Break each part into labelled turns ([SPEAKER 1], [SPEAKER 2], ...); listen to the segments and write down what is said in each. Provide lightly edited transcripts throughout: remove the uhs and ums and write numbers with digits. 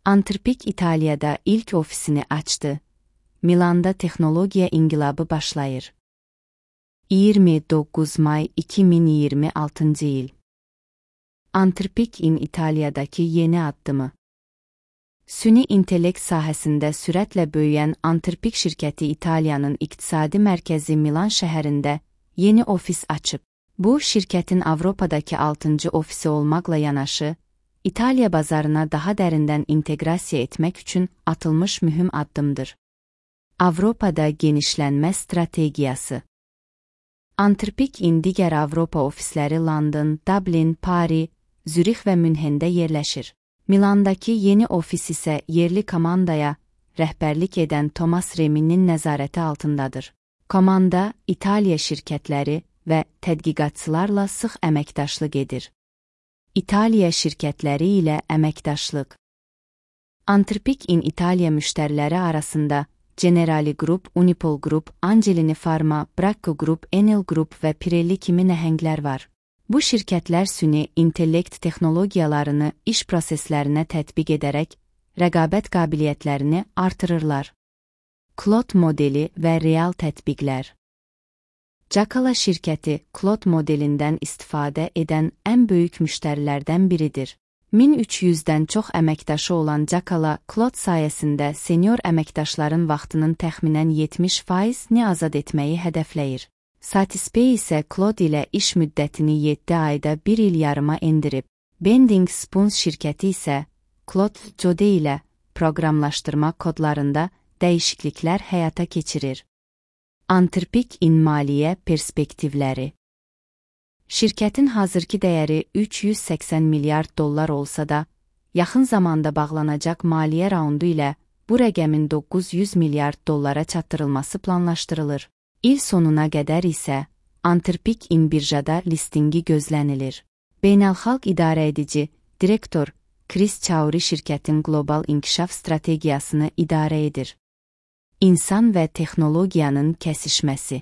[SPEAKER 1] Anthropic İtalya'da ilk ofisini açtı. Milan'da texnologiya inqilabı başlayır. 29 may 2026 yıl. Anthropic-in İtalya'daki yeni addımı. Süni intellekt sahəsində sürətlə böyüyən Anthropic şirkəti İtaliyanın iqtisadi mərkəzi Milan şəhərində yeni ofis açıb. Bu, şirkətin Avropadakı 6-cı ofisi olmaqla yanaşı, İtaliya bazarına daha dərindən inteqrasiya etmək üçün atılmış mühüm addımdır. Avropada genişlənmə strategiyası. Anthropic-in digər Avropa ofisləri London, Dublin, Paris, Zürix və Münhendə yerləşir. Milandakı yeni ofis isə yerli komandaya rəhbərlik edən Thomas Reminin nəzarəti altındadır. Komanda, İtaliya şirkətləri və tədqiqatçılarla sıx əməkdaşlıq edir. İtaliya şirkətləri ilə əməkdaşlıq. Anthropic-in İtaliya müştəriləri arasında Generali Group, Unipol Group, Angelini Pharma, Bracco Group, Enel Group və Pirelli kimi nəhənglər var. Bu şirkətlər süni intellekt texnologiyalarını iş proseslərinə tətbiq edərək rəqabət qabiliyyətlərini artırırlar. Claude modeli və real tətbiqlər. Jacala şirkəti Claude modelindən istifadə edən ən böyük müştərilərdən biridir. 1300-dən çox əməkdaşı olan Jacala, Claude sayəsində senior əməkdaşların vaxtının təxminən 70%-ni azad etməyi hədəfləyir. Satispay isə Claude ilə iş müddətini 7 ayda 1 il yarıma endirib. Bending Spoons şirkəti isə Claude Jode ilə proqramlaşdırma kodlarında dəyişikliklər həyata keçirir. Anthropic-in maliyyə perspektivləri. Şirkətin hazırki dəyəri 380 milyard dollar olsa da, yaxın zamanda bağlanacaq maliyyə raundu ilə bu rəqəmin 900 milyard dollara çatdırılması planlaşdırılır. İl sonuna qədər isə Anthropic-in birjada listingi gözlənilir. Beynəlxalq idarəedici, direktor Chris Chowri şirkətin qlobal inkişaf strategiyasını idarə edir. İnsan və texnologiyanın kəsişməsi.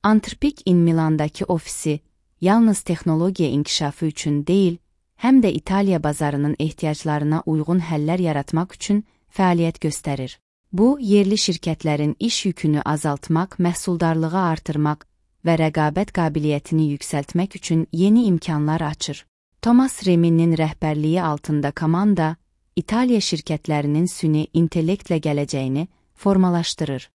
[SPEAKER 1] Anthropic-in Milandakı ofisi yalnız texnologiya inkişafı üçün deyil, həm də İtaliya bazarının ehtiyaclarına uyğun həllər yaratmaq üçün fəaliyyət göstərir. Bu, yerli şirkətlərin iş yükünü azaltmaq, məhsuldarlığı artırmaq və rəqabət qabiliyyətini yüksəltmək üçün yeni imkanlar açır. Thomas Reminin rəhbərliyi altında komanda, İtaliya şirkətlərinin süni intellektlə gələcəyini formalaşdırır.